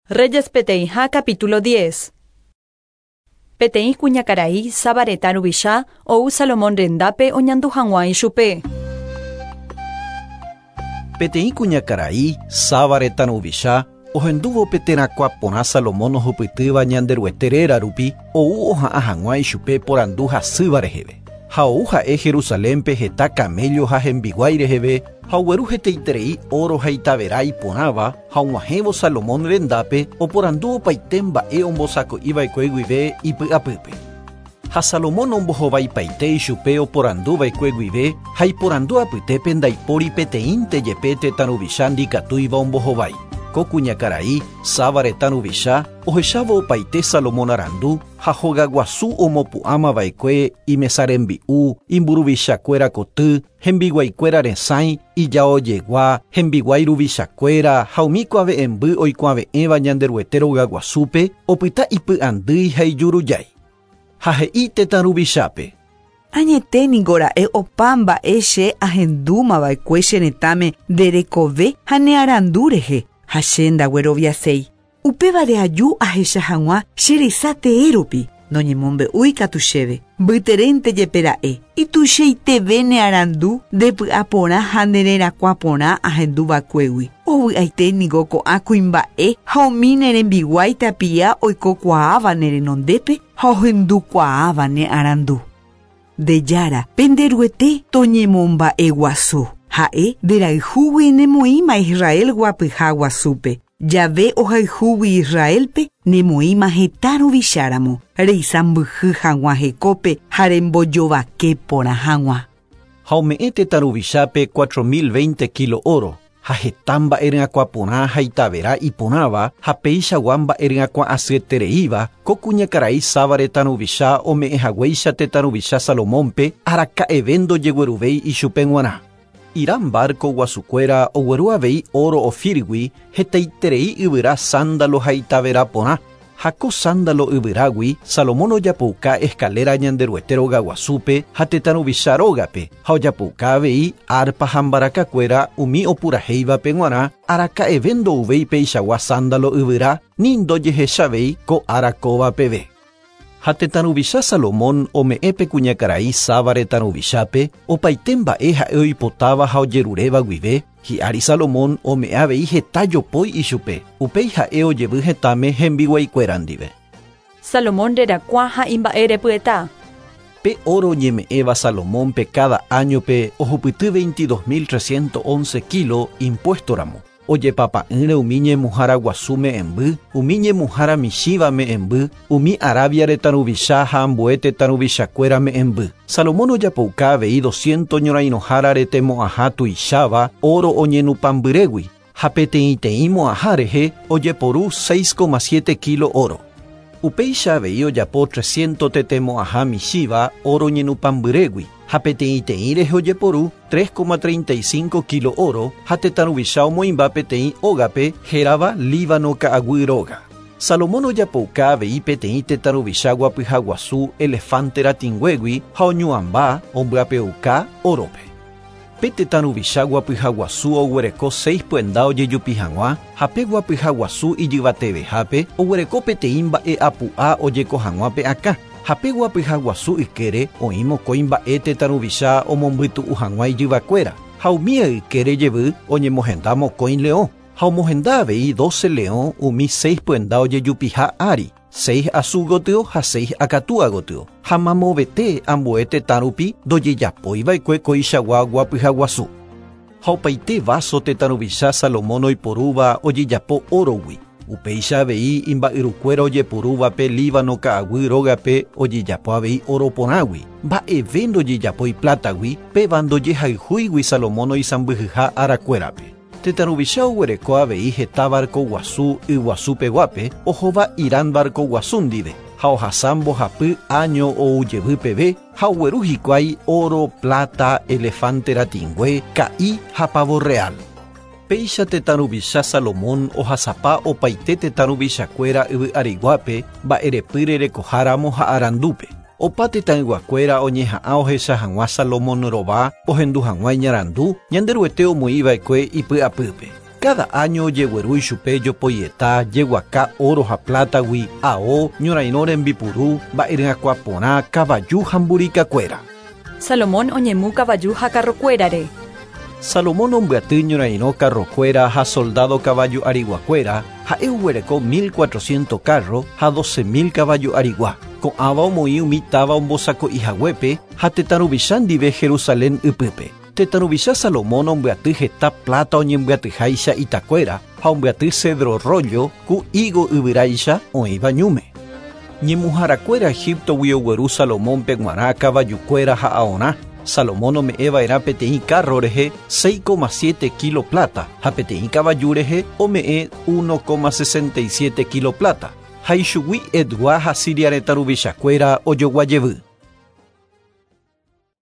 Reyes peteĩha capítulo 10. Peteĩ kuñakarai Saba retã ruvicha ou Salomón rendápe oñandu hag̃ua ichupe. Peteĩ kuñakarai Saba retã ruvicha ohendúvo pe terakuã porã Salomón ohupytýva Ñanderuete réra rupi ou oha'ã hag̃ua ichupe porandu hasýva reheve. Ha ou ha'e Jerusalénpe heta kaméllo ha hembiguái reheve ha ogueru hetaiterei óro ha itavera iporãva ha og̃uahẽvo Salomón rendápe oporandu opaite mba'e ombosako'iva'ekue guive ipy'apýpe. Ha Salomón ombohovaipaite ichupe oporanduva'ekue guive ha iporandu apytépe ndaipóri peteĩnte jepe tetã ruvicha ndikatúiva ombohovái. Ko kuñakarai, Saba retã ruvicha, ohechávo opaite Salomón arandu, Ha hogaguasu omopu'ãma va'ekue imesa rembi'u, imburuvichakuéra koty, hembiguaikuéra resãi, ijaojegua, hembiguái ruvichakuéra ha umi kuave'ẽmby oikuave'ẽva Ñanderuete rogaguasúpe, opyta ipy'andýi ha ijurujái. Ha he'i tetã ruvichápe. Añete ningo ra'e opa mba'e che ahendúma va'ekue che retãme nde rekove ha ne arandu rehe, ha che ndagueroviaséi. Upévare aju ahecha hag̃ua che resa tee rupi, noñemombe'úi katu chéve, mbyterénte jepe ra'e, ituichaiteve ne arandu, nde py'a porã ha ne rerakuã porã ahendu va'ekuégui. Ovy'aite ningo ko'ã kuimba'e ha umi ne rembiguái tapia oikokuaáva ne renondépe ha ohendukuaáva ne arandu. Nde Jára, pende Ruete toñemomba'eguasu. Ha'e nderayhúgui nemoĩma Israel guapyha guasúpe. Jave ohayhúgui Israélpe nemoĩma hetã ruvicháramo, reisãmbyhy hag̃ua hekópe ha rembojovake porã hag̃ua. Ha ome'ẽ tetã ruvichápe cuatro mil veinte kílo óro, ha heta mba'e ryakuã porã ha itavera iporãva ha peichagua mba'e ryakuã asyetereíva, ko kuñakarai Saba retã ruvicha ome'ẽ haguéicha tetã ruvicha Salomónpe araka'eve ndojegueruvéi ichupe g̃uarã. Hiram várko guasukuéra ogueru avei óro Ofírgui hetaiterei yvyra sándalo ha itavera porã, ha ko sándalo yvyrágui Salomón ojapouka eskaléra Ñanderuete rogaguasúpe ha tetã ruvicha rógape, ha ojapouka avei árpa ha mbarakakuéra umi opurahéivape g̃uarã, araka'eve ndouvéi peichagua sándalo yvyra ni ndojehechavéi ko ára kóva peve. Ha tetã ruvicha Salomón ome'ẽ pe kuñakarai Saba retã ruvichápe opaite mba'e ha'e oipotáva ha ojeruréva guive, hi'ári Salomón ome'ẽ avei heta jopói ichupe, upéi ha'e ojevy hetãme hembiguaikuéra ndive. Salomón rerakuã ha imba'e repyeta. Pe óro oñeme'ẽva Salomónpe káda áñope ohupyty veintidós mil trescientos once kílo impuésto ramo. Ojepapa'ỹre umi ñemuhára guasu me'ẽmby, umi ñemuhára michĩva me'ẽmby, umi Arabia retã ruvicha ha ambue tetã ruvichakuéra me'ẽmby. Salomón ojapouka avei doscientos ñorairõhára retemo'ãha tuicháva óro oñenupãmbyrégui, ha peteĩteĩ mo'ãha rehe ojeporu seis coma siete kílo óro. Upéicha avei ojapo trescientos tetemo'ãha michĩva óro ñenupãmbyrégui, ha peteĩteĩ rehe ojeporu tres coma treinta y cinco kílo óro, ha tetã ruvicha omoĩmba peteĩ ógape hérava Líbano ka'aguy róga. Salomón ojapouka avei peteĩ tetã ruvicha guapyha guasu elefánte ratĩnguégui ha oñu'ãmba ombyapeuka órope. Pe tetã ruvicha guapyha guasu oguereko seis pyenda ojejupi hag̃ua, ha pe guapyha guasu ijyvatevehápe oguereko peteĩ mba'e apu'a ojeko hag̃ua pe akã. Ha pe guapyha guasu ykére oĩ mokõi mba'e tetã ruvicha omombytu'u hag̃ua ijyvakuéra, ha umía ykére jevy oñemohenda mokõi leõ, ha omohenda avei doce leõ umi seis pyenda ojejupiha ári, seis asu gotyo ha seis akatúa gotyo, ha mamovete ambue tetã rupi ndojejapói va'ekue koichagua guapyha guasu. Ha opaite váso tetã ruvicha Salomón oiporúva ojejapo órogui. Upéicha avei imba'yrukuéra ojepurúva pe Líbano ka'aguy rógape ojejapo avei óro porãgui. Mba'eve ndojejapói plátagui, péva ndojehayhúigui Salomón oisãmbyhyha arakuérape. Tetã ruvicha oguereko avei heta várko guasu yguasu peguápe ohóva Hiram várko guasu ndive, ha ohasa mbohapy áño ou jevy peve ha ogueru hikuái óro, pláta, elefánte ratĩngue, ka'i ha pavo real. Péicha tetã ruvicha Salomón ohasapa opaite tetã ruvichakuéra yvy ariguápe mba'erepy rerekoha ramo ha arandúpe. Opa tetãyguakuéra oñeha'ã ohecha hag̃ua Salomón rova ohendu hag̃ua iñarandu, Ñanderuete omoĩva'ekue ipy'apýpe. Káda áño ojegueru ichupe jopoieta, jeguaka óro ha plátagui, ao, ñorairõ rembipuru, mba'eryakuã porã, kavaju ha mburikakuéra. Salomón oñemu kavaju ha karrokuérare. Salomón ombyaty ñorairõ karrokuéra ha soldádo kavaju ariguakuéra, ha'e oguereko milcuatrociento kárro ha docemil kavaju arigua. Ko'ãva omoĩ umi táva ombosako'i haguépe ha tetã ruvicha ndive Jerusalén ypýpe. Tetã ruvicha Salomón ombyaty heta pláta oñembyatyháicha itakuéra ha ombyaty cedro rollo ku ígo yvyráicha oĩva ñúme. Ñemuharakuéra Egíptogui ogueru Salomónpe g̃uarã kavajukuéra ha aorã. Salomón ome'ẽ va'erã peteĩ kárro rehe 6,7 kílo pláta ha peteĩ kavaju rehe ome'ẽ 1,67 kílo pláta. Ha ichugui Hetgua ha Siria retã ruvichakuéra ojogua jevy.